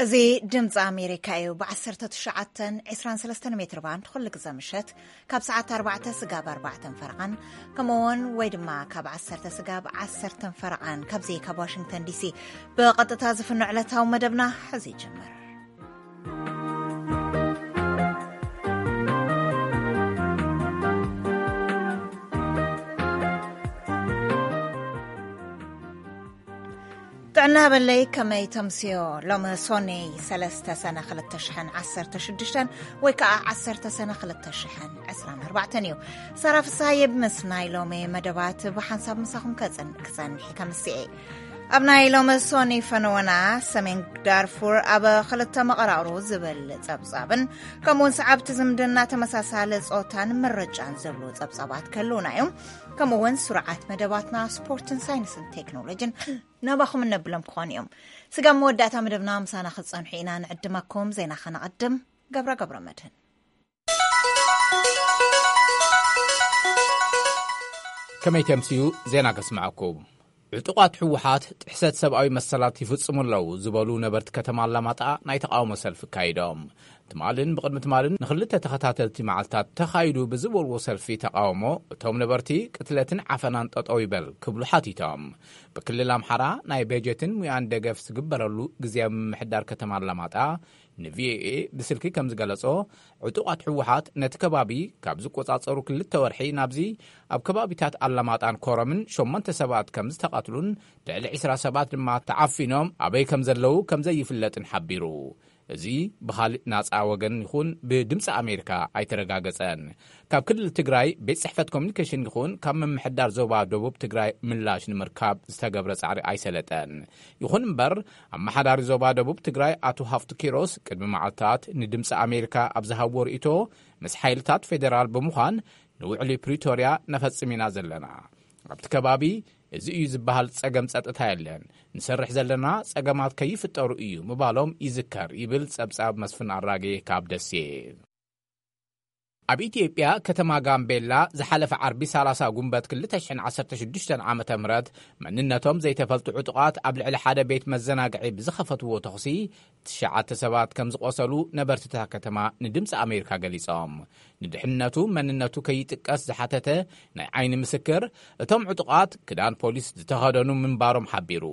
እዚ ድምፂ ኣሜሪካ እዩ። ብ19 23 ሜትር ባንድ ኩሉ ግዜ ምሸት ካብ ሰዓት ኣርባዕተ ስጋብ ኣርባዕተን ፈረቓን፣ ከምኡ እውን ወይ ድማ ካብ ዓሰርተ ስጋብ ዓሰርተን ፈረቓን፣ ካብዚ ካብ ዋሽንግተን ዲሲ ብቐጥታ ዝፍኖ ዕለታዊ መደብና ሕዚ ይጅምር። ጥዕና በለይ፣ ከመይ ተምስዮ? ሎሚ ሶኔ ሰለስተ ሰነ ክልተ ሽሕን ዓሰርተ ሽዱሽተን ወይ ከዓ ዓሰርተ ሰነ ክልተ ሽሕን ዕስራን ኣርባዕተን እዩ። ሳራ ፍስሃየ ምስ ናይ ሎሚ መደባት ብሓንሳብ ምሳኹም ከጽን-፣ ክጸንሕ ከምስኤ። ኣብ ናይ ሎሚ ሶኒ ፈነወና ሰሜን ዳርፉር ኣብ ክልተ መቐራቕሩ ዝብል ጸብጻብን ከምኡውን ሰዓብቲ ዝምድና ተመሳሳሊ ጾታን ምርጫን ዝብሉ ጸብጻባት ክህልውና እዮም። ከምኡውን ስሩዓት መደባትና ስፖርትን ሳይንስን ቴክኖሎጂን ናባኹም እነብሎም ክኾኑ እዮም። ስጋብ መወዳእታ መደብና ምሳና ክትጸንሑ ኢና ንዕድመኩም። ዜና ከነቐድም። ገብረ ገብረ መድህን። ከመይ ተምስዩ? ዜና ከስምዐኩም። ዕጡቓት ህወሓት ጥሕሰት ሰብኣዊ መሰላት ይፍጽሙ ኣለዉ ዝበሉ ነበርቲ ከተማ ኣላማጣ ናይ ተቓውሞ ሰልፊ ኣካይዶም። ትማልን ብቕድሚ ትማልን ንኽልተ ተኸታተልቲ መዓልታት ተኻይዱ ብዝበልዎ ሰልፊ ተቓውሞ፣ እቶም ነበርቲ ቅትለትን ዓፈናን ጠጠው ይበል ክብሉ ሓቲቶም። ብክልል ኣምሓራ ናይ በጀትን ሙያን ደገፍ ዝግበረሉ ግዝያዊ ምምሕዳር ከተማ ኣላማጣ ንቪኦኤ ብስልኪ ከም ዝገለጾ፣ ዕጡቓት ህወሓት ነቲ ከባቢ ካብ ዝቆጻጸሩ ክልተ ወርሒ ናብዚ ኣብ ከባቢታት ኣላማጣን ኮረምን ሸሞንተ ሰባት ከም ዝተቐትሉን ልዕሊ ዕስራ ሰባት ድማ ተዓፊኖም ኣበይ ከም ዘለዉ ከም ዘይፍለጥን ሓቢሩ። እዚ ብኻልእ ናጻ ወገን ይኹን ብድምፂ ኣሜሪካ ኣይተረጋገጸን። ካብ ክልል ትግራይ ቤት ጽሕፈት ኮሚኒኬሽን ይኹን ካብ ምምሕዳር ዞባ ደቡብ ትግራይ ምላሽ ንምርካብ ዝተገብረ ጻዕሪ ኣይሰለጠን። ይኹን እምበር፣ ኣመሓዳሪ ዞባ ደቡብ ትግራይ ኣቶ ሃፍቱ ኪሮስ ቅድሚ መዓልታት ንድምፂ ኣሜሪካ ኣብ ዝሃብዎ ርእይቶ፣ ምስ ሓይልታት ፌዴራል ብምዃን ንውዕሊ ፕሪቶርያ ነፈጽም ኢና ዘለና። ኣብቲ ከባቢ እዚ እዩ ዝበሃል ጸገም ጸጥታ የለን። ንሰርሕ ዘለና ጸገማት ከይፍጠሩ እዩ ምባሎም ይዝከር ይብል ጸብጻብ መስፍን ኣራጌ ካብ ደሴ። ኣብ ኢትዮጵያ ከተማ ጋምቤላ ዝሓለፈ ዓርቢ ሰላሳ ጉንበት ክልተ ሽሕን ዓሰርተ ሽዱሽተን ዓመተ ምህረት መንነቶም ዘይተፈልጡ ዕጡቓት ኣብ ልዕሊ ሓደ ቤት መዘናግዒ ብዝኸፈትዎ ተኹሲ ትሽዓተ ሰባት ከም ዝቖሰሉ ነበርቲ እታ ከተማ ንድምፂ ኣሜሪካ ገሊጾም። ንድሕንነቱ መንነቱ ከይጥቀስ ዝሓተተ ናይ ዓይኒ ምስክር፣ እቶም ዕጡቓት ክዳን ፖሊስ ዝተኸደኑ ምንባሮም ሓቢሩ።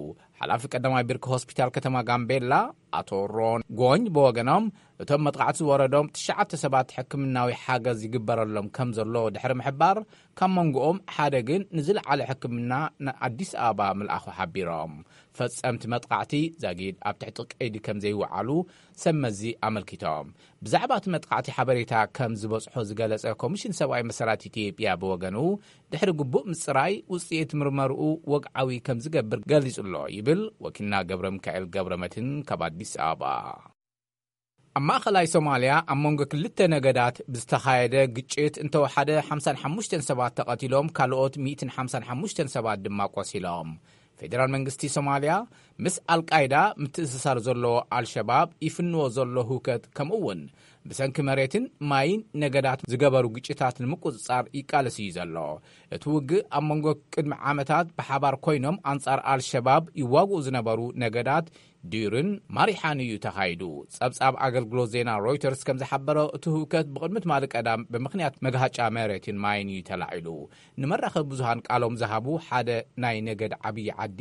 ሓላፊ ቀዳማይ ብርኪ ሆስፒታል ከተማ ጋምቤላ ኣቶ ሮን ጎኝ ብወገኖም፣ እቶም መጥቃዕቲ ዝወረዶም ትሽዓተ ሰባት ሕክምናዊ ሓገዝ ይግበረሎም ከም ዘሎ ድሕሪ ምሕባር፣ ካብ መንጎኦም ሓደ ግን ንዝለዓለ ሕክምና ንኣዲስ ኣበባ ምልኣኹ ሓቢሮም። ፈጸምቲ መጥቃዕቲ ዛጊድ ኣብ ትሕቲ ቀይዲ ከም ዘይወዓሉ ሰብ መዚ ኣመልኪቶም። ብዛዕባ እቲ መጥቃዕቲ ሓበሬታ ከም ዝበጽሖ ዝገለጸ ኮሚሽን ሰብኣዊ መሰላት ኢትዮጵያ ብወገኑ፣ ድሕሪ ግቡእ ምጽራይ ውጽኢት ምርመርኡ ወግዓዊ ከም ዝገብር ገሊጹ ኣሎ ይብል ወኪልና ገብረ ሚካኤል ገብረ መድህን ካብ ኣዲስ ኣበባ። ኣብ ማእኸላይ ሶማልያ ኣብ መንጎ ክልተ ነገዳት ብዝተኻየደ ግጭት እንተወሓደ ሓምሳን ሓሙሽተን ሰባት ተቐቲሎም፣ ካልኦት ሚእትን ሓምሳን ሓሙሽተን ሰባት ድማ ቆሲሎም። ፌደራል መንግስቲ ሶማልያ ምስ ኣልቃይዳ ምትእስሳር ዘለዎ ኣልሸባብ ይፍንዎ ዘሎ ህውከት፣ ከምኡ እውን ብሰንኪ መሬትን ማይን ነገዳት ዝገበሩ ግጭታት ንምቁጽጻር ይቃለስ እዩ ዘሎ። እቲ ውግእ ኣብ መንጎ ቅድሚ ዓመታት ብሓባር ኮይኖም ኣንጻር ኣልሸባብ ይዋግኡ ዝነበሩ ነገዳት ዲርን ማሪሓን እዩ ተኻይዱ። ጸብጻብ ኣገልግሎት ዜና ሮይተርስ ከም ዝሓበሮ፣ እቲ ህውከት ብቕድሚ ትማሊ ቀዳም ብምኽንያት መግሃጫ መሬትን ማይን እዩ ተላዒሉ። ንመራኸቢ ብዙሃን ቃሎም ዝሃቡ ሓደ ናይ ነገድ ዓብዪ ዓዲ፣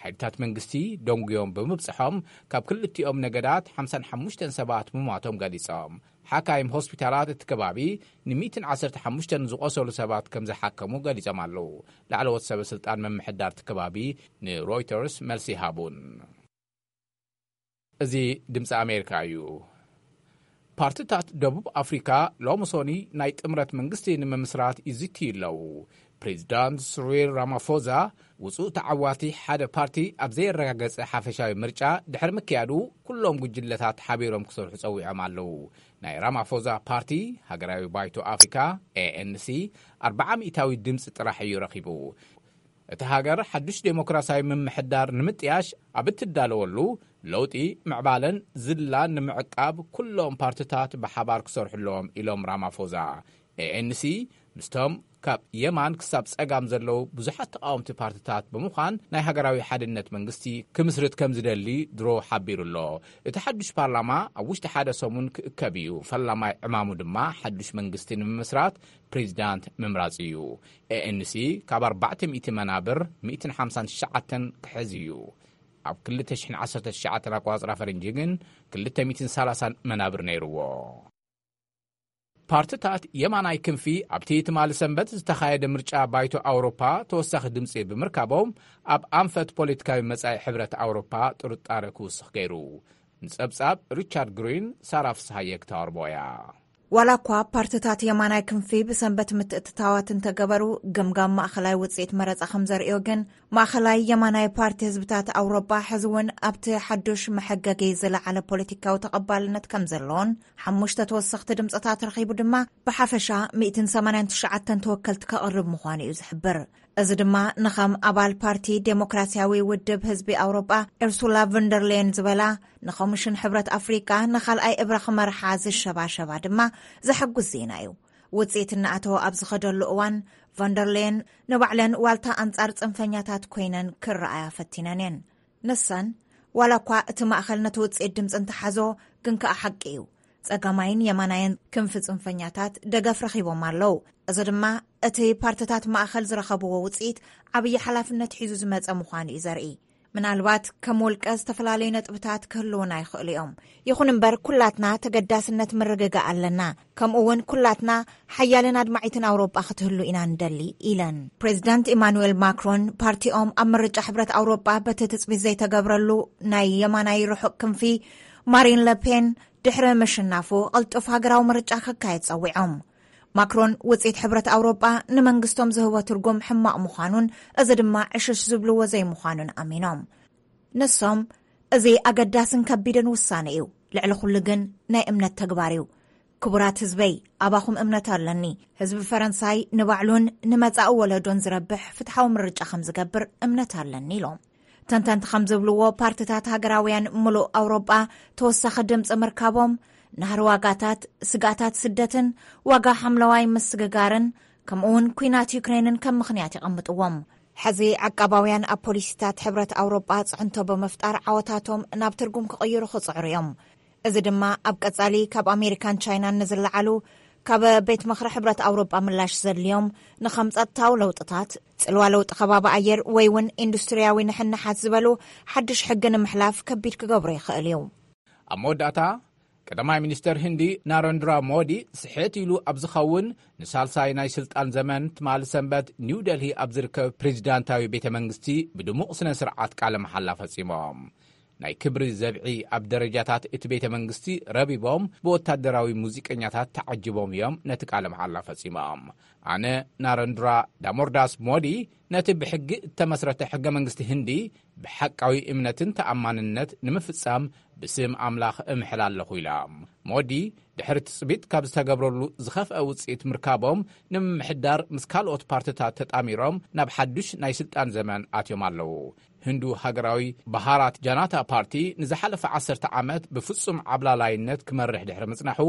ሓይልታት መንግስቲ ደንጉዮም ብምብጽሖም፣ ካብ ክልቲኦም ነገዳት ሓምሳን ሓሙሽተን ሰባት ምሟቶም ገሊጾም። ሓካይም ሆስፒታላት እቲ ከባቢ ን ሚእትን ዓሰርተ ሓሙሽተን ዝቖሰሉ ሰባት ከም ዝሓከሙ ገሊጾም ኣለዉ። ላዕለዎት ሰበ ስልጣን ምምሕዳር እቲ ከባቢ ንሮይተርስ መልሲ ይሃቡን። እዚ ድምፂ ኣሜሪካ እዩ። ፓርቲታት ደቡብ ኣፍሪካ ሎሚ ሶኒ ናይ ጥምረት መንግስቲ ንምምስራት ይዝትዩ ኣለዉ። ፕሬዚዳንት ስሪል ራማፎዛ ውፁእ ተዓዋቲ ሓደ ፓርቲ ኣብ ዘየረጋገፀ ሓፈሻዊ ምርጫ ድሕሪ ምክያዱ፣ ኩሎም ጉጅለታት ሓቢሮም ክሰርሑ ፀዊዖም ኣለዉ። ናይ ራማፎዛ ፓርቲ ሃገራዊ ባይቶ ኣፍሪካ፣ ኤ ኤን ሲ፣ ኣርብዓ ሚእታዊ ድምፂ ጥራሕ እዩ ረኺቡ። እቲ ሃገር ሓዱሽ ዴሞክራሲያዊ ምምሕዳር ንምጥያሽ ኣብ እትዳለወሉ፣ ለውጢ፣ ምዕባለን ዝላን ንምዕቃብ ኩሎም ፓርቲታት ብሓባር ክሰርሑ ኣለዎም ኢሎም ራማፎዛ። ኤ ኤን ሲ ምስቶም ካብ የማን ክሳብ ጸጋም ዘለዉ ብዙሓት ተቓወምቲ ፓርትታት ብምዃን ናይ ሃገራዊ ሓድነት መንግስቲ ክምስርት ከም ዝደሊ ድሮ ሓቢሩ ኣሎ። እቲ ሓድሽ ፓርላማ ኣብ ውሽጢ ሓደ ሰሙን ክእከብ እዩ። ፈላማይ ዕማሙ ድማ ሓድሽ መንግስቲ ንምምስራት ፕሬዚዳንት ምምራጽ እዩ። ኤ ኤን ሲ ካብ ኣርባዕተ ሚእቲ መናብር ሚእትን ሓምሳን ትሽዓተን ክሕዝ እዩ። ኣብ ክልተ ሽሕን ዓሰርተ ትሽዓተን ኣቆጻጽራ ፈረንጂ ግን ክልተ ሚእትን ሰላሳን መናብር ነይርዎ። ፓርትታት የማናይ ክንፊ ኣብቲ ትማሊ ሰንበት ዝተኻየደ ምርጫ ባይቶ ኣውሮፓ ተወሳኺ ድምጺ ብምርካቦም ኣብ ኣንፈት ፖለቲካዊ መጻኢ ሕብረት ኣውሮፓ ጥርጣረ ክውስኽ ገይሩ። ንጸብጻብ ሪቻርድ ግሪን፣ ሳራ ፍስሃየ ክተቕርቦ እያ። ዋላ እኳ ፓርትታት የማናይ ክንፊ ብሰንበት ምትእትታዋት እንተገበሩ፣ ገምጋም ማእኸላይ ውጽኢት መረጻ ከም ዘርእዮ ግን፣ ማእኸላይ የማናይ ፓርቲ ህዝብታት ኣውሮጳ ሕዚ እውን ኣብቲ ሓዱሽ መሐገጊ ዝለዓለ ፖለቲካዊ ተቐባልነት ከም ዘለዎን፣ ሓሙሽተ ተወሰኽቲ ድምፅታት ረኺቡ ድማ ብሓፈሻ ሚእትን ሰማንያን ትሽዓተን ተወከልቲ ከቕርብ ምዃኑ እዩ ዝሕብር። እዚ ድማ ንኸም ኣባል ፓርቲ ዴሞክራሲያዊ ውድብ ህዝቢ ኣውሮጳ ኤርሱላ ቨንደርሌየን ዝበላ ንኮሚሽን ሕብረት ኣፍሪቃ ንኻልኣይ እብረ ክመርሓ ዝሸባሸባ ድማ ዘሐጉስ ዜና እዩ። ውጽኢት እናኣተወ ኣብ ዝኸደሉ እዋን፣ ቫንደርሌየን ንባዕለን ዋልታ ኣንጻር ጽንፈኛታት ኮይነን ክረኣያ ፈቲነን እየን። ንሰን፣ ዋላ እኳ እቲ ማእኸል ነቲ ውጽኢት ድምጺ እንተሓዞ፣ ግን ከኣ ሓቂ እዩ። ጸጋማይን የማናይን ክንፊ ጽንፈኛታት ደገፍ ረኺቦም ኣለዉ። እዚ ድማ እቲ ፓርትታት ማእኸል ዝረኸብዎ ውጽኢት ዓብዪ ሓላፍነት ሒዙ ዝመጸ ምዃኑ እዩ ዘርኢ። ምናልባት ከም ውልቀ ዝተፈላለዩ ነጥብታት ክህልዉና ይኽእሉ እዮም። ይኹን እምበር፣ ኩላትና ተገዳስነት ምርግጋእ ኣለና። ከምኡ እውን ኩላትና ሓያልን ኣድማዒትን ኣውሮጳ ክትህሉ ኢና ንደሊ፣ ኢለን። ፕሬዚዳንት ኢማኑኤል ማክሮን ፓርቲኦም ኣብ ምርጫ ሕብረት ኣውሮጳ በቲ ትጽቢት ዘይተገብረሉ ናይ የማናይ ርሑቕ ክንፊ ማሪን ለፔን ድሕሪ ምሽናፉ ቅልጡፍ ሃገራዊ ምርጫ ክካየድ ጸዊዖም። ማክሮን ውጽኢት ሕብረት ኣውሮጳ ንመንግስቶም ዝህቦ ትርጉም ሕማቕ ምዃኑን እዚ ድማ ዕሽሽ ዝብልዎ ዘይምዃኑን ኣሚኖም። ንሶም፣ እዚ ኣገዳስን ከቢድን ውሳነ እዩ፣ ልዕሊ ኩሉ ግን ናይ እምነት ተግባር እዩ። ክቡራት ህዝበይ፣ ኣባኹም እምነት ኣለኒ። ህዝቢ ፈረንሳይ ንባዕሉን ንመጻኢ ወለዶን ዝረብሕ ፍትሓዊ ምርጫ ከም ዝገብር እምነት ኣለኒ፣ ኢሎም። ተንተንቲ ከም ዝብልዎ፣ ፓርትታት ሃገራውያን ምሉእ ኣውሮጳ ተወሳኺ ድምፂ ምርካቦም፣ ናህሪ ዋጋታት፣ ስግኣታት ስደትን ዋጋ ሓምለዋይ ምስግጋርን፣ ከምኡውን ኲናት ዩክሬንን ከም ምኽንያት የቐምጥዎም። ሕዚ ዓቃባውያን ኣብ ፖሊሲታት ሕብረት ኣውሮጳ ጽዕንቶ ብምፍጣር ዓወታቶም ናብ ትርጉም ክቕይሩ ክጽዕሩ እዮም። እዚ ድማ ኣብ ቀጻሊ ካብ ኣሜሪካን ቻይናን ንዝለዓሉ ካብ ቤት ምኽሪ ሕብረት ኣውሮጳ ምላሽ ዘድልዮም ንኸም ጸጥታዊ ለውጥታት፣ ጽልዋ ለውጢ ከባቢ ኣየር ወይ እውን ኢንዱስትሪያዊ ንሕንሓት ዝበሉ ሓድሽ ሕጊ ንምሕላፍ ከቢድ ክገብሮ ይኽእል እዩ። ኣብ መወዳእታ፣ ቀዳማይ ሚኒስተር ህንዲ ናረንድራ ሞዲ ስሕት ኢሉ ኣብ ዝኸውን ንሳልሳይ ናይ ስልጣን ዘመን ትማሊ ሰንበት ኒው ደልሂ ኣብ ዝርከብ ፕሬዚዳንታዊ ቤተ መንግስቲ ብድሙቕ ስነ ስርዓት ቃለ መሓላ ፈጺሞም። ናይ ክብሪ ዘብዒ ኣብ ደረጃታት እቲ ቤተ መንግስቲ ረቢቦም ብወታደራዊ ሙዚቀኛታት ተዓጅቦም እዮም ነቲ ቃለ መሓላ ፈጺሞም። ኣነ ናረንድራ ዳሞርዳስ ሞዲ ነቲ ብሕጊ እተመስረተ ሕገ መንግስቲ ህንዲ ብሓቃዊ እምነትን ተኣማንነት ንምፍጻም ብስም ኣምላኽ እምሕል ኣለኹ ኢሎም። ሞዲ ድሕሪ ትጽቢት ካብ ዝተገብረሉ ዝኸፍአ ውጽኢት ምርካቦም ንምምሕዳር ምስ ካልኦት ፓርትታት ተጣሚሮም ናብ ሓዱሽ ናይ ስልጣን ዘመን ኣትዮም ኣለዉ። ህንዱ ሃገራዊ ባሃራት ጃናታ ፓርቲ ንዝሓለፈ ዓሰርተ ዓመት ብፍጹም ዓብላላይነት ክመርሕ ድሕሪ ምጽናሑ፣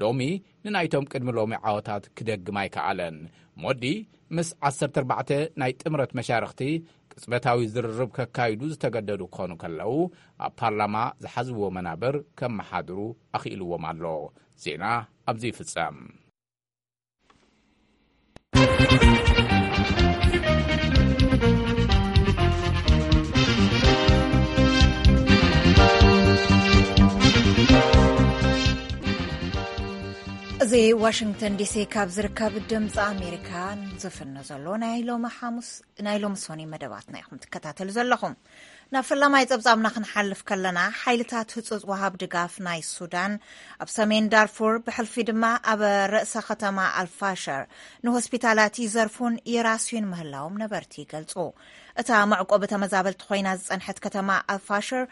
ሎሚ ንናይቶም ቅድሚ ሎሚ ዓወታት ክደግም ኣይከኣለን። ሞዲ ምስ ዓሰርተ ኣርባዕተ ናይ ጥምረት መሻርኽቲ ቅጽበታዊ ዝርርብ ከካይዱ ዝተገደዱ ክኾኑ ከለዉ፣ ኣብ ፓርላማ ዝሓዝዎ መናብር ከመሓድሩ ኣኽኢልዎም ኣሎ። ዜና ኣብዚ ይፍጸም። እዚ ዋሽንግተን ዲሲ ካብ ዝርከብ ድምፂ ኣሜሪካ ዝፍኖ ዘሎ ናይ ሎሚ ሓሙስ፣ ናይ ሎሚ ሶኒ መደባትና ኢኹም ትከታተሉ ዘለኹም። ናብ ፈላማይ ጸብጻብና ክንሓልፍ ከለና፣ ሓይልታት ህጹጽ ወሃብ ድጋፍ ናይ ሱዳን ኣብ ሰሜን ዳርፉር፣ ብሕልፊ ድማ ኣብ ርእሰ ከተማ ኣልፋሸር፣ ንሆስፒታላት ይዘርፉን ይራስዩን ምህላዎም ነበርቲ ይገልጹ። እታ መዕቆቢ ተመዛበልቲ ኮይና ዝጸንሐት ከተማ ኣልፋሸር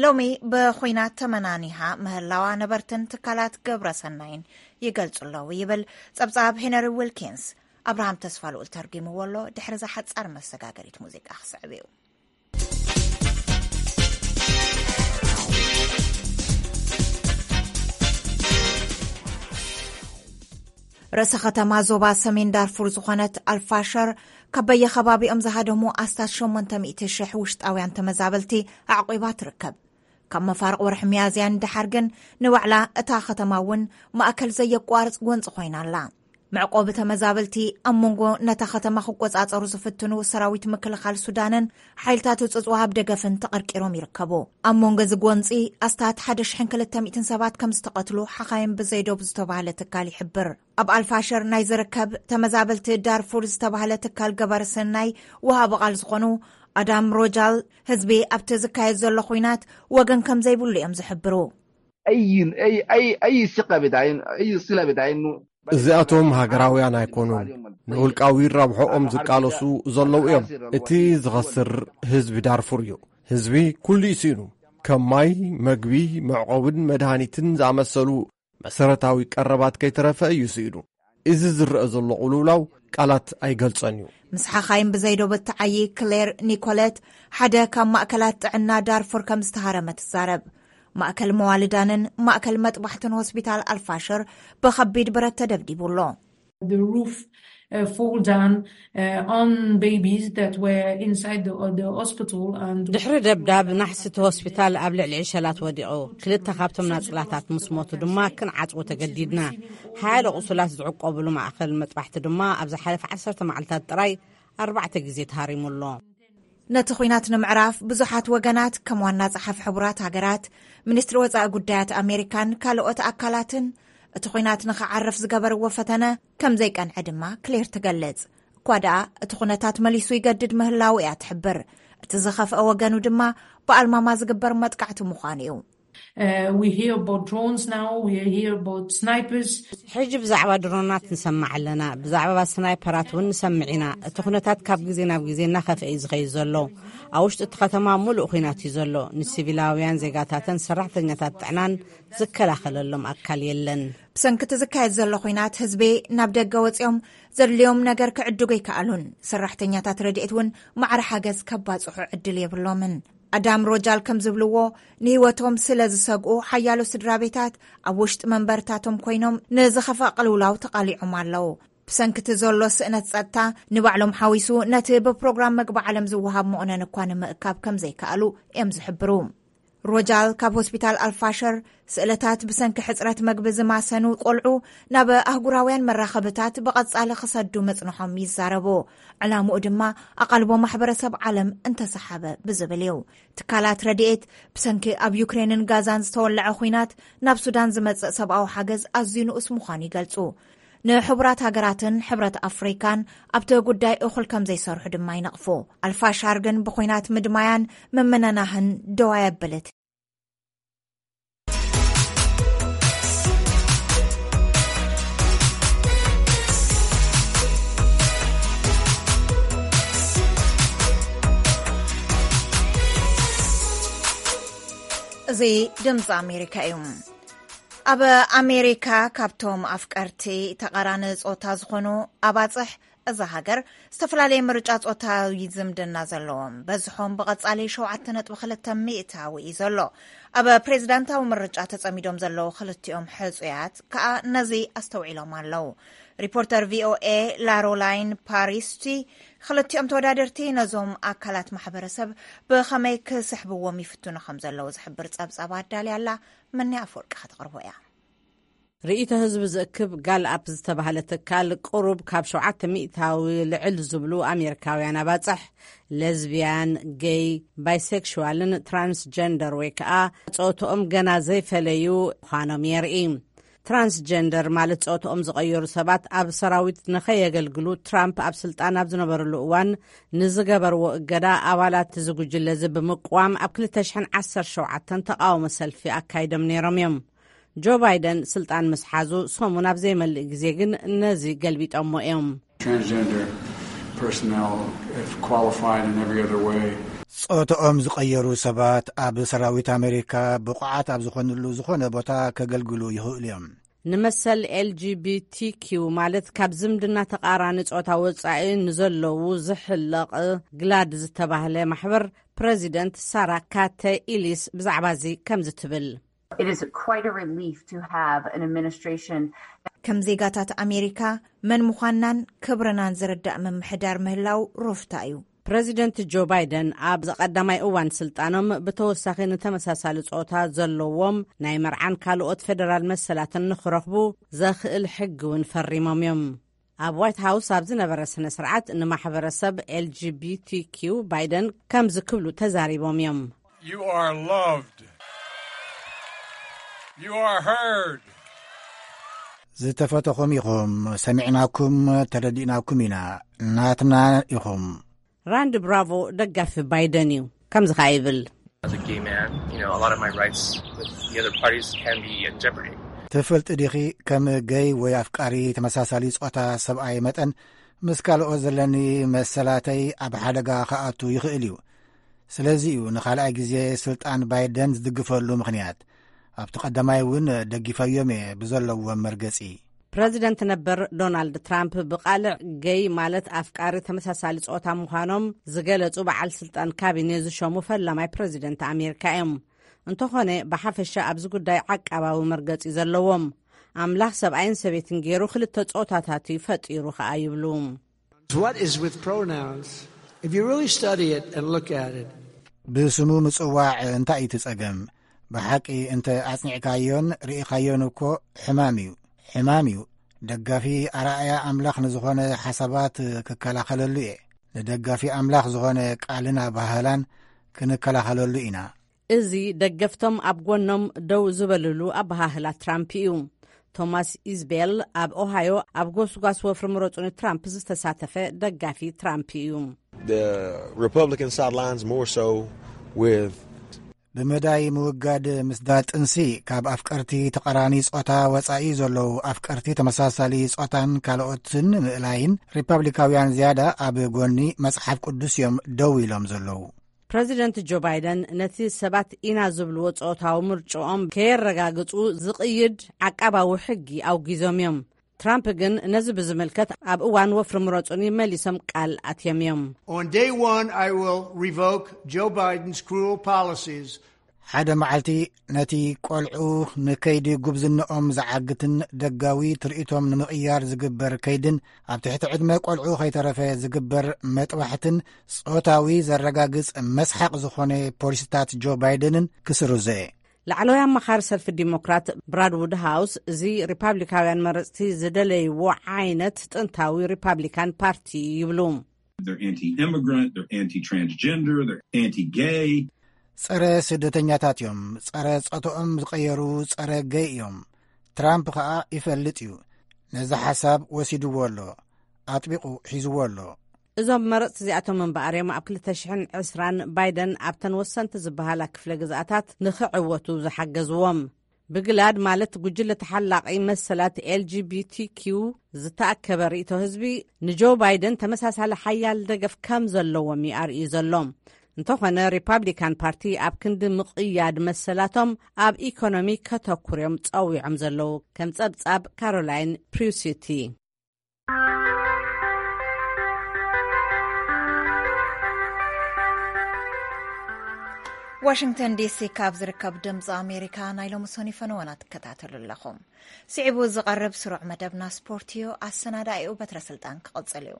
ሎሚ ብኹናት ተመናኒሃ ምህላዋ ነበርትን ትካላት ግብረ ሰናይን ይገልጹ ኣለዉ ይብል ጸብጻብ ሄነሪ ዊልኪንስ። ኣብርሃም ተስፋ ልኡል ተርጒምዎ ኣሎ። ድሕሪ እዛ ሓጻር መሰጋገሪት ሙዚቃ ክስዕብ እዩ። ርእሰ ከተማ ዞባ ሰሜን ዳርፉር ዝኾነት ኣልፋሸር፣ ካብ በየከባቢኦም ዝሃደሙ ኣስታት ሸሞንተ ሚእቲ ሽሕ ውሽጣውያን ተመዛበልቲ ኣዕቂባ ትርከብ። ካብ መፋርቕ ወርሒ ሚያዝያ ንደሓር ግን፣ ንባዕላ እታ ከተማ እውን ማእከል ዘየቋርጽ ጎንጺ ኮይና ኣላ። መዕቆቢ ተመዛበልቲ ኣብ መንጎ ነታ ከተማ ክቆጻጸሩ ዝፍትኑ ሰራዊት ምክልኻል ሱዳንን ሓይልታት ህጹጽ ወሃብ ደገፍን ተቐርቂሮም ይርከቡ። ኣብ መንጎ እዚ ጎንጺ ኣስታት ሓደ ሽሕን ክልተ ሚእትን ሰባት ከም ዝተቐትሉ ሓኻይም ብዘይዶብ ዝተባህለ ትካል ይሕብር። ኣብ ኣልፋሸር ናይ ዝርከብ ተመዛበልቲ ዳርፉር ዝተባህለ ትካል ገባር ሰናይ ወሃቢ ቃል ዝኾኑ ኣዳም ሮጃል፣ ህዝቢ ኣብቲ ዝካየድ ዘሎ ኹናት ወገን ከም ዘይብሉ እዮም ዝሕብሩ። أي أي أي أي ثقة بتعين أي صلة بتعين እዚኣቶም ሃገራውያን ኣይኮኑን። ንውልቃዊ ረብሖኦም ዝቃለሱ ዘለዉ እዮም። እቲ ዝኸስር ህዝቢ ዳርፉር እዩ። ህዝቢ ኩሉ እዩ ስኢኑ። ከም ማይ፣ መግቢ፣ መዕቆብን መድሃኒትን ዝኣመሰሉ መሰረታዊ ቀረባት ከይተረፈ እዩ ስኢኑ። እዚ ዝረአ ዘሎ ቅልውላው ቃላት ኣይገልጸን እዩ። ምስ ሓኻይም ብዘይዶብ እትዓዪ ክሌር ኒኮለት፣ ሓደ ካብ ማእከላት ጥዕና ዳርፉር ከም ዝተሃረመ ትዛረብ። ማእከል መዋልዳንን ማእከል መጥባሕትን ሆስፒታል ኣልፋሽር ብኸቢድ ብረት ተደብዲቡ ኣሎ። The roof uh, fall down uh, on babies that were inside the, the hospital and ድሕሪ ደብዳብ ናሕሲ እቲ ሆስፒታል ኣብ ልዕሊ ዕሸላት ወዲቑ። ክልተ ካብቶም ናጽላታት ምስ ሞቱ ድማ ክንዓጽዎ ተገዲድና። ሓያለ ቁሱላት ዝዕቆብሉ ማእኸል መጥባሕቲ ድማ ኣብ ዝሓለፈ ዓሰርተ መዓልታት ጥራይ ኣርባዕተ ግዜ ተሃሪሙ ኣሎ። ነቲ ኹናት ንምዕራፍ ብዙሓት ወገናት፣ ከም ዋና ጸሓፊ ሕቡራት ሃገራት፣ ሚኒስትሪ ወጻኢ ጉዳያት ኣሜሪካን ካልኦት ኣካላትን፣ እቲ ኹናት ንኽዓርፍ ዝገበርዎ ፈተነ ከም ዘይቀንዐ ድማ ክሌር ትገልጽ። እኳ ደኣ እቲ ኩነታት መሊሱ ይገድድ ምህላዉ እያ ትሕብር። እቲ ዝኸፍአ ወገኑ ድማ ብኣልማማ ዝግበር መጥቃዕቲ ምዃኑ እዩ። Uh, we hear about drones now, we hear about snipers. ሕጂ ብዛዕባ ድሮናት ንሰማዕ ኣለና፣ ብዛዕባ ስናይፐራት እውን ንሰምዕ ኢና። እቲ ኩነታት ካብ ግዜ ናብ ግዜ እናኸፍአ እዩ ዝኸይድ ዘሎ። ኣብ ውሽጢ እቲ ከተማ ሙሉእ ኹናት እዩ ዘሎ። ንሲቪላውያን ዜጋታትን ሰራሕተኛታት ጥዕናን ዝከላኸለሎም ኣካል የለን። ብሰንኪ እቲ ዝካየድ ዘሎ ኹናት ህዝቢ ናብ ደገ ወፂኦም ዘድልዮም ነገር ክዕድጉ ኣይከኣሉን። ሰራሕተኛታት ረድኤት እውን ማዕረ ሓገዝ ከባፅሑ ዕድል የብሎምን። ኣዳም ሮጃል ከም ዝብልዎ፣ ንህይወቶም ስለ ዝሰግኡ ሓያሎ ስድራ ቤታት ኣብ ውሽጢ መንበርታቶም ኮይኖም ንዝኸፍአ ቅልውላው ተቓሊዖም ኣለዉ። ብሰንኪ እቲ ዘሎ ስእነት ጸጥታ፣ ንባዕሎም ሓዊሱ ነቲ ብፕሮግራም መግቢ ዓለም ዝወሃብ መቑነን እኳ ንምእካብ ከም ዘይከኣሉ እዮም ዝሕብሩ። ሮጃል ካብ ሆስፒታል ኣልፋሸር፣ ስእለታት ብሰንኪ ሕጽረት መግቢ ዝማሰኑ ቆልዑ ናብ ኣህጉራውያን መራኸብታት ብቐጻሊ ክሰዱ ምጽንሖም ይዛረቡ። ዕላምኡ ድማ ኣቓልቦ ማሕበረሰብ ዓለም እንተሰሓበ ብዝብል እዩ። ትካላት ረድኤት፣ ብሰንኪ ኣብ ዩክሬንን ጋዛን ዝተወለዐ ኹናት ናብ ሱዳን ዝመጽእ ሰብኣዊ ሓገዝ ኣዝዩ ንኡስ ምዃኑ ይገልጹ። ንሕቡራት ሃገራትን ሕብረት ኣፍሪካን ኣብቲ ጉዳይ እኹል ከም ዘይሰርሑ ድማ ይነቕፉ። ኣልፋሻር ግን ብኹናት ምድማያን ምምንናህን ደው ኣየብልን። እዚ ድምፂ ኣሜሪካ እዩ። ኣብ ኣሜሪካ ካብቶም ኣፍቀርቲ ተቓራኒ ጾታ ዝኾኑ ኣባጽሕ እዛ ሃገር፣ ዝተፈላለየ ምርጫ ጾታዊ ዝምድና ዘለዎም በዝሖም ብቐጻሊ ሸውዓተ ነጥቢ ክልተ ሚእታዊ እዩ ዘሎ። ኣብ ፕሬዚዳንታዊ ምርጫ ተጸሚዶም ዘለዉ ክልቲኦም ሕጹያት ከኣ ነዚ ኣስተውዒሎም ኣለዉ። ሪፖርተር ቪኦኤ ላሮላይን ፓሪስቲ ክልቲኦም ተወዳደርቲ ነዞም ኣካላት ማሕበረሰብ ብኸመይ ክስሕብዎም ይፍትኑ ከም ዘለዉ ዝሕብር ጸብጻብ ኣዳልያ ኣላ። መኒ ኣፈወርቂ ከተቕርቦ እያ። ርእይቶ ህዝቢ ዝእክብ ጋል ኣፕ ዝተባህለ ትካል፣ ቅሩብ ካብ ሸውዓተ ሚእታዊ ልዕል ዝብሉ ኣሜሪካውያን ኣባጽሕ፣ ሌዝቢያን፣ ጌይ፣ ባይሴክሽዋልን ትራንስጀንደር ወይ ከኣ ጾትኦም ገና ዘይፈለዩ ምዃኖም የርኢ። ትራንስጀንደር ማለት ጾትኦም ዝቐየሩ ሰባት ኣብ ሰራዊት ንኸየገልግሉ ትራምፕ ኣብ ስልጣን ኣብ ዝነበርሉ እዋን ንዝገበርዎ እገዳ፣ ኣባላት እዚ ጉጅለ እዚ ብምቅዋም ኣብ ክልተ ሽሕን ዓሰርተ ሸውዓተን ተቓውሞ ሰልፊ ኣካይዶም ነይሮም እዮም። ጆ ባይደን ስልጣን ምስ ሓዙ ሰሙን ኣብ ዘይመልእ ግዜ ግን ነዚ ገልቢጦሞ እዮም። Transgender personnel, if qualified in every other way. ጾታኦም ዝቐየሩ ሰባት ኣብ ሰራዊት ኣሜሪካ ብቑዓት ኣብ ዝኾንሉ ዝኾነ ቦታ ከገልግሉ ይኽእሉ እዮም። ንመሰል ኤልጂቢቲኪው ማለት ካብ ዝምድና ተቓራኒ ጾታ ወጻኢ ንዘለዉ ዝሕለቕ ግላድ ዝተባህለ ማሕበር ፕረዚደንት ሳራ ካተ ኢሊስ ብዛዕባ እዚ ከምዚ ትብል። It is quite a relief to have an administration. ከም ዜጋታት ኣሜሪካ መን ምዃንናን ክብርናን ዝርዳእ ምምሕዳር ምህላው ሩፍታ እዩ። ፕረዚደንት ጆ ባይደን ኣብ ቀዳማይ እዋን ስልጣኖም ብተወሳኺ ንተመሳሳሊ ጾታ ዘለዎም ናይ መርዓን ካልኦት ፌደራል መሰላትን ንኽረኽቡ ዘኽእል ሕጊ እውን ፈሪሞም እዮም። ኣብ ዋይት ሃውስ ኣብ ዝነበረ ስነ ስርዓት ንማሕበረሰብ ኤልጂቢቲኪው ባይደን ከምዚ ክብሉ ተዛሪቦም እዮም። You are loved. You are heard. ዝተፈተኹም ኢኹም። ሰሚዕናኩም፣ ተረዲእናኩም ኢና። ናትና ኢኹም። ራንድ ብራቮ ደጋፊ ባይደን እዩ። ከምዚ ኸዓ ይብል። As a gay man, you know, a lot of my rights with the other parties can be in jeopardy. ትፈልጢ ዲኺ፣ ከም ገይ ወይ ኣፍቃሪ ተመሳሳሊ ጾታ ሰብኣይ መጠን ምስ ካልኦት ዘለኒ መሰላተይ ኣብ ሓደጋ ክኣቱ ይኽእል እዩ። ስለዚ እዩ ንኻልኣይ ግዜ ስልጣን ባይደን ዝድግፈሉ ምኽንያት። ኣብቲ ቀዳማይ እውን ደጊፈዮም እየ ብዘለዎም መርገጺ። ፕረዚደንት ነበር ዶናልድ ትራምፕ ብቓልዕ ገይ ማለት ኣፍቃሪ ተመሳሳሊ ጾታ ምዃኖም ዝገለጹ በዓል ስልጣን ካቢኔ ዝሸሙ ፈላማይ ፕረዚደንት ኣሜሪካ እዮም። እንተኾነ ብሓፈሻ ኣብዚ ጉዳይ ዓቃባዊ መርገጺ ዘለዎም፣ ኣምላኽ ሰብኣይን ሰበይትን ገይሩ ክልተ ጾታታት እዩ ፈጢሩ ኸኣ ይብሉ። What is with pronouns? If you really study it and look at it, ብስሙ ምጽዋዕ እንታይ እዩ እቲ ጸገም? ብሓቂ እንተ ኣጽኒዕካዮን ርኢኻዮን እኮ ሕማም እዩ። ሕማም እዩ። ደጋፊ ኣርኣያ ኣምላኽ ንዝኾነ ሓሳባት ክከላኸለሉ እየ። ንደጋፊ ኣምላኽ ዝኾነ ቃልን ኣባህላን ክንከላኸለሉ ኢና። እዚ ደገፍቶም ኣብ ጎኖም ደው ዝበልሉ ኣበሃህላ ትራምፕ እዩ። ቶማስ ኢዝቤል ኣብ ኦሃዮ ኣብ ጎስጓስ ወፍሪ ምረጹኒ ትራምፕ ዝተሳተፈ ደጋፊ ትራምፕ እዩ። The Republican sidelines more so with ብመዳይ ምውጋድ ምስዳድ ጥንሲ ካብ ኣፍቀርቲ ተቐራኒ ጾታ ወጻኢ ዘለዉ ኣፍቀርቲ ተመሳሳሊ ጾታን ካልኦትን ምእላይን ሪፓብሊካውያን ዝያዳ ኣብ ጎኒ መጽሓፍ ቅዱስ እዮም ደው ኢሎም ዘለዉ። ፕረዚደንት ጆ ባይደን ነቲ ሰባት ኢና ዝብልዎ ጾታዊ ምርጭኦም ከየረጋግጹ ዝቕይድ ዓቃባዊ ሕጊ ኣውጊዞም እዮም። ትራምፕ ግን ነዚ ብዝምልከት ኣብ እዋን ወፍሪ ምረጹኒ መሊሶም ቃል ኣትዮም እዮም። On day one, I will revoke Joe Biden's cruel policies. ሓደ መዓልቲ ነቲ ቆልዑ ንከይዲ ጉብዝንኦም ዝዓግትን ደጋዊ ትርኢቶም ንምቕያር ዝግበር ከይድን ኣብ ትሕቲ ዕድመ ቆልዑ ከይተረፈ ዝግበር መጥባሕትን ጾታዊ ዘረጋግጽ መስሓቕ ዝኾነ ፖሊሲታት ጆ ባይደንን ክስርዞ እየ። ላዕለዋይ ኣማኻሪ ሰልፊ ዲሞክራት ብራድ ውድሃውስ እዚ ሪፓብሊካውያን መረጽቲ ዝደለይዎ ዓይነት ጥንታዊ ሪፓብሊካን ፓርቲ ይብሉ። They're anti-immigrant, they're anti-transgender, they're anti-gay. ጸረ ስደተኛታት እዮም። ጸረ ጾትኦም ዝቐየሩ ጸረ ገይ እዮም። ትራምፕ ኸኣ ይፈልጥ እዩ። ነዚ ሓሳብ ወሲድዎ ኣሎ። ኣጥቢቑ ሒዝዎ ኣሎ። እዞም መረጽቲ እዚኣቶም እምበኣር እዮም ኣብ ክልተ ሽሕን ዕስራን ባይደን ኣብተን ወሰንቲ ዝበሃላ ክፍለ ግዝኣታት ንኽዕወቱ ዝሓገዝዎም። ብግላድ ማለት ጉጅለ ተሓላቒ መሰላት ኤልጂቢቲኪው ዝተኣከበ ርእይቶ ህዝቢ ንጆ ባይደን ተመሳሳሊ ሓያል ደገፍ ከም ዘለዎም እዩ ኣርእዩ ዘሎ። እንተኾነ ሪፓብሊካን ፓርቲ ኣብ ክንዲ ምቕያድ መሰላቶም ኣብ ኢኮኖሚ ከተኩር እዮም ጸዊዖም ዘለዉ። ከም ጸብጻብ ካሮላይን ፕሪውሲቲ። ዋሽንግተን ዲሲ ካብ ዝርከብ ድምፂ ኣሜሪካ ናይ ሎሚ ሰኑይ ፈነወና ትከታተሉ ኣለኹም። ስዒቡ ዝቐርብ ስሩዕ መደብና ስፖርት እዩ። ኣሰናዳኢኡ በትረ ስልጣን ክቕፅል እዩ።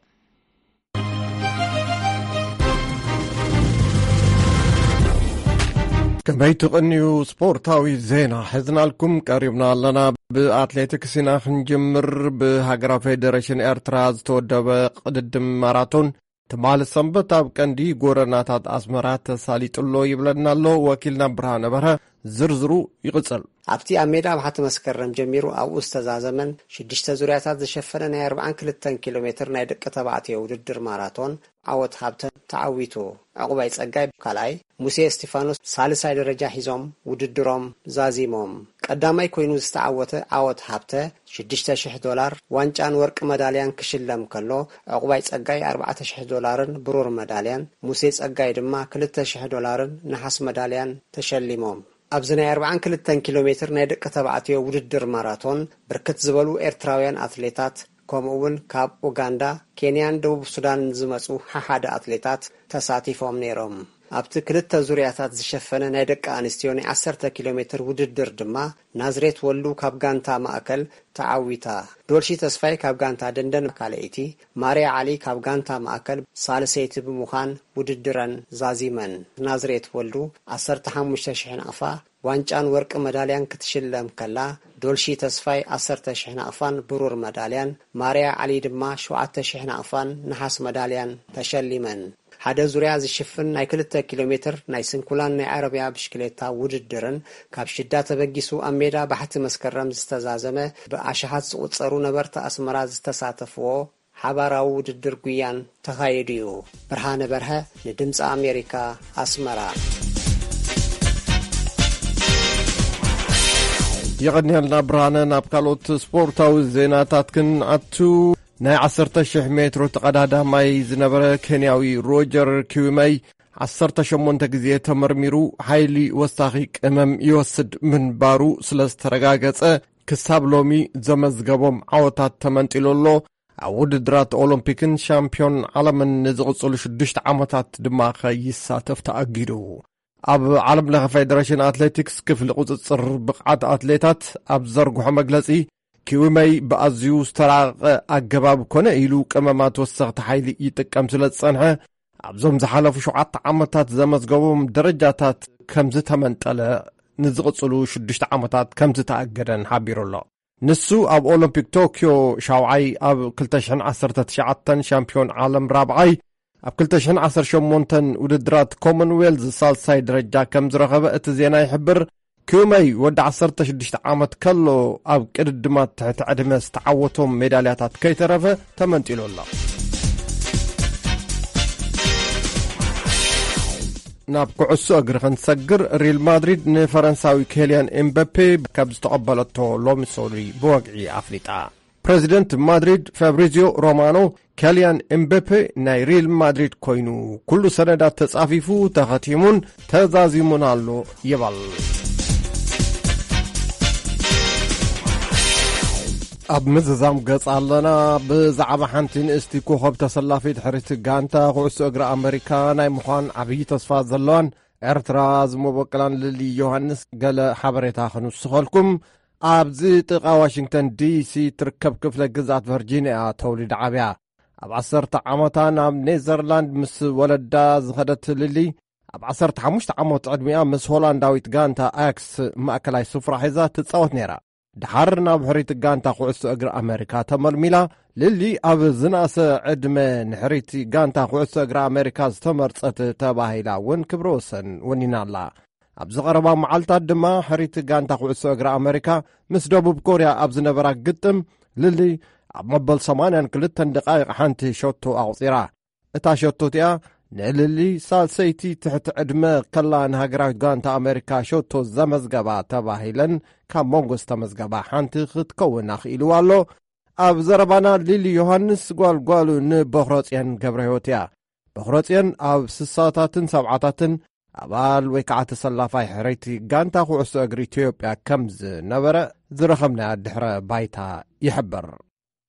ከመይ ትቕንዩ? ስፖርታዊ ዜና ሒዝናልኩም ቀሪብና ኣለና። ብኣትሌቲክስ ኢና ክንጅምር። ብሃገራዊ ፌደሬሽን ኤርትራ ዝተወደበ ቅድድም ማራቶን ትማሊ ሰንበት ኣብ ቀንዲ ጎደናታት ኣስመራ ተሳሊጡ ኣሎ ይብለና ኣሎ ወኪልና ብርሃነ በርሀ። ዝርዝሩ ይቕጽል። ኣብቲ ኣብ ሜዳ ኣብሓቲ መስከረም ጀሚሩ ኣብኡ ዝተዛዘመን ሽዱሽተ ዙርያታት ዝሸፈነ ናይ ኣርብዓን ክልተን ኪሎ ሜትር ናይ ደቂ ተባዕትዮ ውድድር ማራቶን ዓወት ሃብተ ተዓዊቱ። ዕቑባይ ጸጋይ ካልኣይ፣ ሙሴ እስቲፋኖስ ሳልሳይ ደረጃ ሒዞም ውድድሮም ዛዚሞም። ቀዳማይ ኮይኑ ዝተዓወተ ዓወት ሃብተ ሽዱሽተ ሽሕ ዶላር ዋንጫን ወርቂ መዳልያን ክሽለም ከሎ፣ ዕቑባይ ጸጋይ ኣርባዕተ ሽሕ ዶላርን ብሩር መዳልያን፣ ሙሴ ጸጋይ ድማ ክልተ ሽሕ ዶላርን ነሓስ መዳልያን ተሸሊሞም። ኣብዚ ናይ ኣርብዓን ክልተን ኪሎ ሜትር ናይ ደቂ ተባዕትዮ ውድድር ማራቶን ብርክት ዝበሉ ኤርትራውያን ኣትሌታት ከምኡ እውን ካብ ኡጋንዳ፣ ኬንያን ደቡብ ሱዳንን ዝመጹ ሓሓደ ኣትሌታት ተሳቲፎም ነይሮም። ኣብቲ ክልተ ዙርያታት ዝሸፈነ ናይ ደቂ ኣንስትዮ ናይ ዓሰርተ ኪሎ ሜትር ውድድር ድማ ናዝሬት ወልዱ ካብ ጋንታ ማእከል ተዓዊታ። ዶልሺ ተስፋይ ካብ ጋንታ ደንደን ካልኣይቲ፣ ማርያ ዓሊ ካብ ጋንታ ማእከል ሳልሰይቲ ብምዃን ውድድረን ዛዚመን። ናዝሬት ወልዱ ዓሰርተ ሓሙሽተ ሽሕ ናቕፋ ዋንጫን ወርቂ መዳልያን ክትሽለም ከላ፣ ዶልሺ ተስፋይ ዓሰርተ ሽሕ ናቕፋን ብሩር መዳልያን፣ ማርያ ዓሊ ድማ ሸውዓተ ሽሕ ናቕፋን ነሓስ መዳልያን ተሸሊመን። ሓደ ዙርያ ዝሽፍን ናይ ክልተ ኪሎ ሜትር ናይ ስንኩላን ናይ ዓረብያ ብሽክሌታ ውድድርን ካብ ሽዳ ተበጊሱ ኣብ ሜዳ ባሕቲ መስከረም ዝተዛዘመ ብኣሽሓት ዝቑጸሩ ነበርቲ ኣስመራ ዝተሳተፍዎ ሓባራዊ ውድድር ጉያን ተኻይዱ እዩ። ብርሃነ በርሀ ንድምፂ ኣሜሪካ ኣስመራ። የቐንየልና ብርሃነ። ናብ ካልኦት ስፖርታዊ ዜናታት ክንኣቱ፣ ናይ ዓሰርተ ሽሕ ሜትሮ ተቐዳዳማይ ዝነበረ ኬንያዊ ሮጀር ኪዊመይ ዓሰርተ ሸሞንተ ግዜ ተመርሚሩ ሓይሊ ወሳኺ ቅመም ይወስድ ምንባሩ ስለ ዝተረጋገጸ ክሳብ ሎሚ ዘመዝገቦም ዓወታት ተመንጢሉ ኣሎ። ኣብ ውድድራት ኦሎምፒክን ሻምፒዮን ዓለምን ንዝቕጽሉ ሽዱሽተ ዓመታት ድማ ከይሳተፍ ተኣጊዱ። ኣብ ዓለም ለኸ ፌደሬሽን ኣትሌቲክስ ክፍሊ ቁጽጽር ብቕዓት ኣትሌታት ኣብ ዘርግሖ መግለጺ፣ ኪዊመይ ብኣዝዩ ዝተራቐቐ ኣገባብ ኮነ ኢሉ ቅመማት ወሰኽቲ ሓይሊ ይጥቀም ስለ ዝጸንሐ፣ ኣብዞም ዝሓለፉ ሸውዓተ ዓመታት ዘመዝገቦም ደረጃታት ከም ዝተመንጠለ፣ ንዝቕጽሉ ሽዱሽተ ዓመታት ከም ዝተኣገደን ሓቢሩ ኣሎ። ንሱ ኣብ ኦሎምፒክ ቶክዮ ሻውዓይ፣ ኣብ ክልተ ሽሕን ዓሰርተ ትሽዓተን ሻምፒዮን ዓለም ራብዓይ፣ ኣብ ክልተ ሽሕን ዓሰርተ ሸሞንተን ውድድራት ኮመንዌልዝ ሳልሳይ ደረጃ ከም ዝረኸበ እቲ ዜና ይሕብር። ኪውመይ ወዲ ዓሰርተ ሽዱሽተ ዓመት ከሎ ኣብ ቅድድማት ትሕቲ ዕድመ ዝተዓወቶም ሜዳልያታት ከይተረፈ ተመንጢሉ ኣሎ። ናብ ኩዕሶ እግሪ ክንሰግር፣ ሪል ማድሪድ ንፈረንሳዊ ኬልያን ኤምበፔ ካብ ዝተቐበለቶ ሎሚ ሰሉይ ብወግዒ ኣፍሊጣ። ፕረዚደንት ማድሪድ ፋብሪዚዮ ሮማኖ፣ ኬልያን ኤምበፔ ናይ ሪል ማድሪድ ኮይኑ፣ ኩሉ ሰነዳት ተጻፊፉ፣ ተኸቲሙን ተዛዚሙን ኣሎ ይበል። ኣብ ምዝዛም ገጽ ኣለና። ብዛዕባ ሓንቲ ንእስቲ ኮኸብ ተሰላፊት ሕርይቲ ጋንታ ኩዕሶ እግሪ ኣመሪካ ናይ ምዃን ዓብዪ ተስፋ ዘለዋን ኤርትራ ዝመበቀላን ልሊ ዮሃንስ ገለ ሓበሬታ ክንውስኸልኩም። ኣብዚ ጥቓ ዋሽንግተን ዲሲ ትርከብ ክፍለ ግዝኣት ቨርጂንያ ተወሊዳ ዓብያ። ኣብ ዓሰርተ ዓመታ ናብ ኔዘርላንድ ምስ ወለዳ ዝኸደት ልሊ፣ ኣብ ዓሰርተ ሓሙሽተ ዓመት ዕድሚኣ ምስ ሆላንዳዊት ጋንታ ኣያክስ ማእከላይ ስፍራ ሒዛ ትጻወት ነይራ። ድሓር ናብ ሕሪት ጋንታ ኩዕሶ እግሪ ኣመሪካ ተመልሚላ። ልሊ ኣብ ዝነኣሰ ዕድመ ንሕሪት ጋንታ ኩዕሶ እግሪ ኣመሪካ ዝተመርጸት ተባሂላ እውን ክብረ ወሰን ወኒና ኣላ። ኣብዚ ቀረባ መዓልታት ድማ ሕሪት ጋንታ ኩዕሶ እግሪ ኣመሪካ ምስ ደቡብ ኮርያ ኣብ ዝነበራ ግጥም፣ ልሊ ኣብ መበል ሰማንያን ክልተን ደቃይቕ ሓንቲ ሸቶ ኣቑጺራ። እታ ሸቶ እቲኣ ንልሊ ሳልሰይቲ ትሕቲ ዕድመ ከላ ንሃገራዊት ጋንታ ኣመሪካ ሸቶ ዘመዝገባ ተባሂለን ካብ መንጎ ዝተመዝገባ ሓንቲ ክትከውን ኣኽኢልዋ ኣሎ። ኣብ ዘረባና ሊሊ ዮሃንስ ጓል ጓሉ ንበኹረጽዮን ገብረ ህይወት እያ። በኹረጽዮን ኣብ ስሳታትን ሰብዓታትን ኣባል ወይ ከዓ ተሰላፋይ ሕረይቲ ጋንታ ኩዕሶ እግሪ ኢትዮጵያ ከም ዝነበረ ዝረኸብናዮ ድሕረ ባይታ ይሕብር።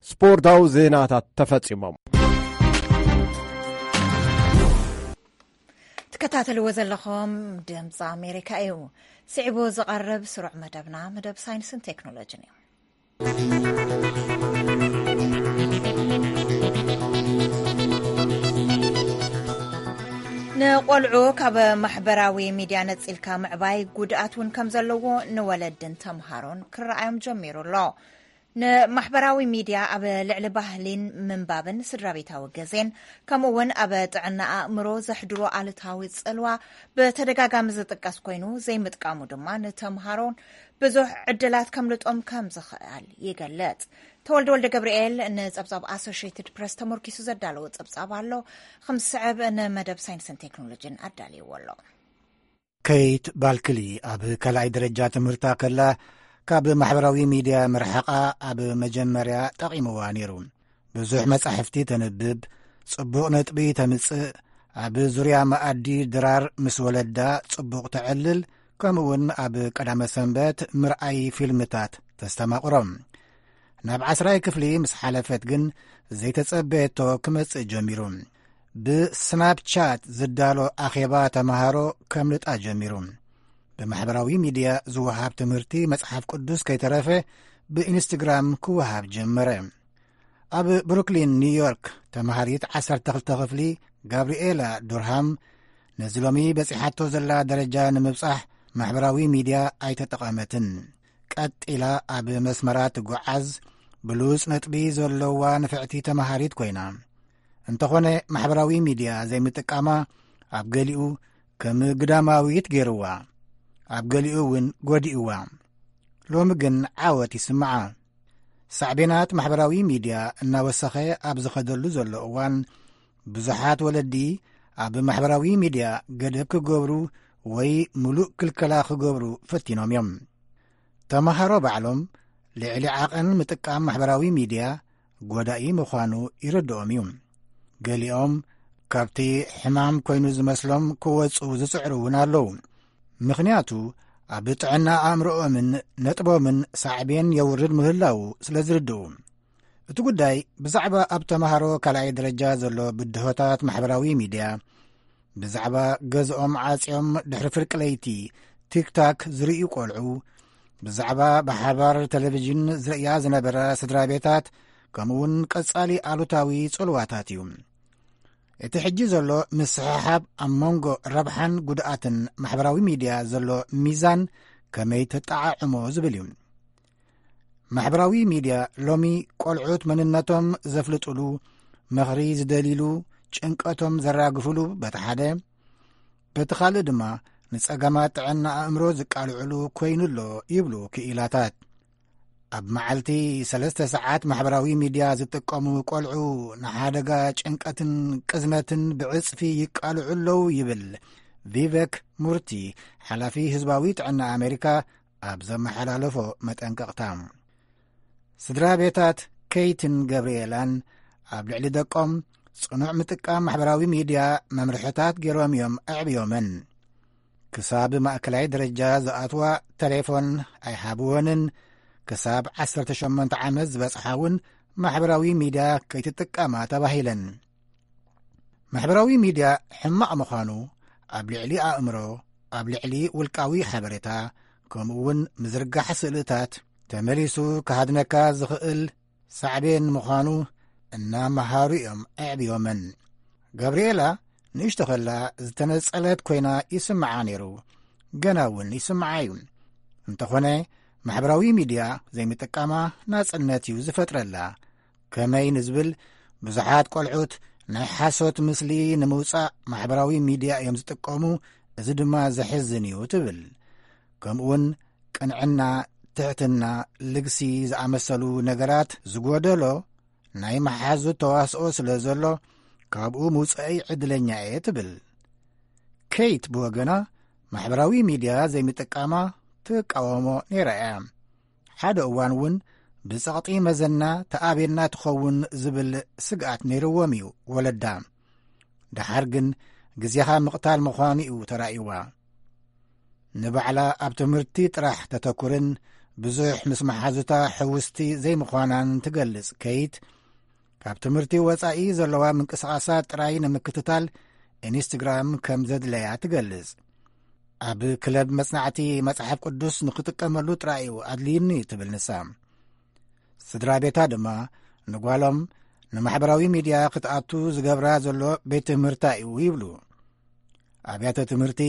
ስፖርታዊ ዜናታት ተፈጺሞም። ትከታተልዎ ዘለኹም ድምፂ ኣሜሪካ እዩ። ስዒቡ ዝቐርብ ስሩዕ መደብና መደብ ሳይንስን ቴክኖሎጂን እዩ። ንቆልዑ ካብ ማሕበራዊ ሚድያ ነፂልካ ምዕባይ ጉድኣት እውን ከም ዘለዎ ንወለድን ተምሃሮን ክረኣዮም ጀሚሩ ኣሎ። ንማሕበራዊ ሚድያ ኣብ ልዕሊ ባህሊን ምንባብን ስድራ ቤታዊ ግዜን ከምኡ እውን ኣብ ጥዕና ኣእምሮ ዘሕድሮ ኣሉታዊ ጽልዋ ብተደጋጋሚ ዝጥቀስ ኮይኑ፣ ዘይምጥቃሙ ድማ ንተምሃሮን ብዙሕ ዕድላት ከምልጦም ከም ዝኽእል ይገልጽ። ተወልደ ወልደ ገብርኤል ንጸብጻብ ኣሶሽየትድ ፕረስ ተመርኪሱ ዘዳለዎ ጸብጻብ ኣሎ። ከም ዝስዕብ ንመደብ ሳይንስን ቴክኖሎጂን ኣዳልይዎ ኣሎ። ኬይት ባልክሊ ኣብ ካልኣይ ደረጃ ትምህርታ ከላ ካብ ማሕበራዊ ሚድያ ምርሓቓ ኣብ መጀመርያ ጠቒምዋ ነይሩ። ብዙሕ መጻሕፍቲ ተንብብ፣ ጽቡቕ ነጥቢ ተምጽእ፣ ኣብ ዙርያ መኣዲ ድራር ምስ ወለዳ ጽቡቕ ተዕልል፣ ከምኡውን ኣብ ቀዳመ ሰንበት ምርኣይ ፊልምታት ተስተማቕሮም። ናብ ዓስራይ ክፍሊ ምስ ሓለፈት ግን ዘይተጸበየቶ ክመጽእ ጀሚሩ። ብስናፕቻት ዝዳሎ ኣኼባ ተምሃሮ ከምልጣ ጀሚሩ። ብማሕበራዊ ሚድያ ዝወሃብ ትምህርቲ መጽሓፍ ቅዱስ ከይተረፈ ብኢንስትግራም ክወሃብ ጀመረ። ኣብ ብሩክሊን ኒውዮርክ ተምሃሪት ዓሰርተ ክልተ ክፍሊ ጋብርኤላ ዱርሃም ነዚ ሎሚ በጺሓቶ ዘላ ደረጃ ንምብጻሕ ማሕበራዊ ሚድያ ኣይተጠቐመትን። ቀጥ ኢላ ኣብ መስመራ ትጓዓዝ ብሉጽ ነጥቢ ዘለዋ ንፍዕቲ ተምሃሪት ኮይና። እንተኾነ ማሕበራዊ ሚድያ ዘይምጥቃማ ኣብ ገሊኡ ከም ግዳማዊት ገይርዋ፣ ኣብ ገሊኡ እውን ጎዲእዋ። ሎሚ ግን ዓወት ይስምዓ። ሳዕቤናት ማሕበራዊ ሚድያ እናወሰኸ ኣብ ዝኸደሉ ዘሎ እዋን ብዙሓት ወለዲ ኣብ ማሕበራዊ ሚድያ ገደብ ክገብሩ ወይ ምሉእ ክልከላ ክገብሩ ፈቲኖም እዮም። ተምሃሮ ባዕሎም ልዕሊ ዓቐን ምጥቃም ማሕበራዊ ሚድያ ጎዳኢ ምዃኑ ይርድኦም እዩ። ገሊኦም ካብቲ ሕማም ኮይኑ ዝመስሎም ክወጹ ዝጽዕሩ እውን ኣለዉ። ምኽንያቱ ኣብ ጥዕና ኣእምሮኦምን ነጥቦምን ሳዕቤን የውርድ ምህላዉ ስለ ዝርድኡ። እቲ ጉዳይ ብዛዕባ ኣብ ተምሃሮ ካልኣይ ደረጃ ዘሎ ብድሆታት ማሕበራዊ ሚድያ፣ ብዛዕባ ገዝኦም ዓጽዮም ድሕሪ ፍርቂ ለይቲ ቲክታክ ዝርእዩ ቆልዑ፣ ብዛዕባ ብሓባር ቴሌቪዥን ዝርእያ ዝነበራ ስድራ ቤታት፣ ከምኡውን ቀጻሊ ኣሉታዊ ጽልዋታት እዩ። እቲ ሕጂ ዘሎ ምስሕሓብ ኣብ መንጎ ረብሓን ጉድኣትን ማሕበራዊ ሚድያ ዘሎ ሚዛን ከመይ ተጠዓዕሞ ዝብል እዩ። ማሕበራዊ ሚድያ ሎሚ ቆልዑት መንነቶም ዘፍልጡሉ፣ ምኽሪ ዝደልይሉ፣ ጭንቀቶም ዘራግፍሉ በቲ ሓደ፣ በቲ ካልእ ድማ ንጸገማት ጥዕና ኣእምሮ ዝቃልዕሉ ኮይኑ ኣሎ ይብሉ ክኢላታት። ኣብ መዓልቲ ሰለስተ ሰዓት ማሕበራዊ ሚድያ ዝጥቀሙ ቆልዑ ንሓደጋ ጭንቀትን ቅዝነትን ብዕጽፊ ይቃልዑ ኣለዉ ይብል ቪቨክ ሙርቲ፣ ሓላፊ ህዝባዊ ጥዕና ኣሜሪካ፣ ኣብ ዘመሓላለፎ መጠንቀቕታ። ስድራ ቤታት ኬይትን ገብርኤላን ኣብ ልዕሊ ደቆም ጽኑዕ ምጥቃም ማሕበራዊ ሚድያ መምርሕታት ገይሮም እዮም ኣዕብዮመን። ክሳብ ማእከላይ ደረጃ ዝኣትዋ ተሌፎን ኣይሃብወንን፣ ክሳብ ዓሰርተ ሸሞንተ ዓመት ዝበጽሓ እውን ማሕበራዊ ሚድያ ከይትጥቀማ ተባሂለን። ማሕበራዊ ሚድያ ሕማቕ ምዃኑ ኣብ ልዕሊ ኣእምሮ፣ ኣብ ልዕሊ ውልቃዊ ሓበሬታ፣ ከምኡ እውን ምዝርጋሕ ስእልታት፣ ተመሊሱ ክሃድነካ ዝኽእል ሳዕቤን ምዃኑ እናመሃሩ እዮም ኣዕብዮመን። ጋብርኤላ ንእሽቶ ከላ ዝተነጸለት ኮይና ይስምዓ ነይሩ፣ ገና እውን ይስምዓ እዩ። እንተኾነ ማሕበራዊ ሚድያ ዘይምጥቃማ ናጽነት እዩ ዝፈጥረላ። ከመይ ንዝብል፣ ብዙሓት ቆልዑት ናይ ሓሶት ምስሊ ንምውጻእ ማሕበራዊ ሚድያ እዮም ዝጥቀሙ፣ እዚ ድማ ዘሕዝን እዩ ትብል። ከምኡውን ቅንዕና፣ ትሕትና፣ ልግሲ ዝኣመሰሉ ነገራት ዝጎደሎ ናይ መሓዙት ተዋስኦ ስለ ዘሎ ካብኡ ምውጻኢ ዕድለኛ እየ ትብል። ኬይት ብወገና ማሕበራዊ ሚድያ ዘይምጥቃማ ትቃወሞ ነይራ እያ። ሓደ እዋን እውን ብጸቕጢ መዘና ተኣብየና ትኸውን ዝብል ስግኣት ነይርዎም እዩ ወለዳ። ደሓር ግን ግዜኻ ምቕታል ምዃኑ እዩ ተራእይዋ። ንባዕላ ኣብ ትምህርቲ ጥራሕ ተተኩርን ብዙሕ ምስ መሓዙታ ሕውስቲ ዘይምዃናን ትገልጽ ኬይት፣ ካብ ትምህርቲ ወጻኢ ዘለዋ ምንቅስቓሳት ጥራይ ንምክትታል ኢንስትግራም ከም ዘድለያ ትገልጽ። ኣብ ክለብ መጽናዕቲ መጽሓፍ ቅዱስ ንኽጥቀመሉ ጥራይ እዩ ኣድልዩኒ ትብል ንሳ። ስድራ ቤታ ድማ ንጓሎም ንማሕበራዊ ሚድያ ክትኣቱ ዝገብራ ዘሎ ቤት ትምህርታ እዩ ይብሉ። ኣብያተ ትምህርቲ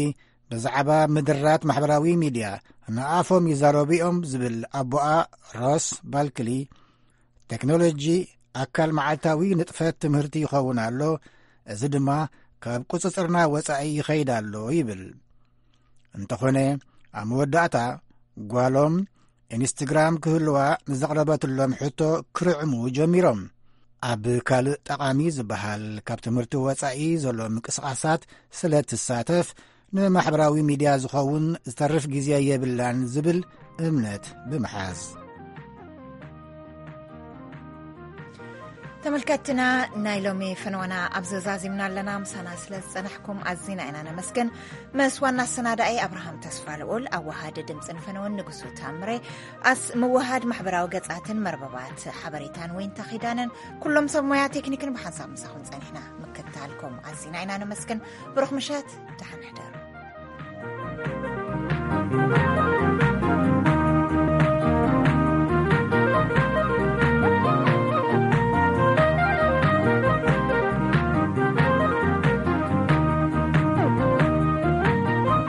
ብዛዕባ ምድራት ማሕበራዊ ሚድያ ንኣፎም ይዛረቡ እዮም ዝብል ኣቦኣ ሮስ ባልክሊ፣ ቴክኖሎጂ ኣካል መዓልታዊ ንጥፈት ትምህርቲ ይኸውን ኣሎ፣ እዚ ድማ ካብ ቁጽጽርና ወጻኢ ይኸይድ ኣሎ ይብል። እንተኾነ ኣብ መወዳእታ ጓሎም ኢንስትግራም ክህልዋ ንዘቕረበትሎም ሕቶ ክርዕሙ ጀሚሮም። ኣብ ካልእ ጠቓሚ ዝበሃል ካብ ትምህርቲ ወጻኢ ዘሎ ምንቅስቓሳት ስለ ትሳተፍ ንማሕበራዊ ሚድያ ዝኸውን ዝተርፍ ግዜ የብላን ዝብል እምነት ብምሓዝ። ተመልከትና፣ ናይ ሎሚ ፈነወና ኣብ ዘዛዚምና ኣለና። ምሳና ስለ ዝጸናሕኩም ኣዚና ኢና ነመስግን። ምስ ዋና ኣሰናዳኢ ኣብርሃም ተስፋ ልኡል፣ ኣዋሃዲ ድምጽን ፈነወን ንጉሱ ታምሬ፣ ኣስ ምውሃድ ማሕበራዊ ገጻትን መርበባት ሓበሬታን ወይንታ ኪዳነን፣ ኩሎም ሰብ ሞያ ቴክኒክን ብሓንሳብ ምሳኹም ጸኒሕና። ምክትታልኩም ኣዚና ኢና ነመስግን። ብሩኽ ምሸት፣ ደሓን ሕደሩ።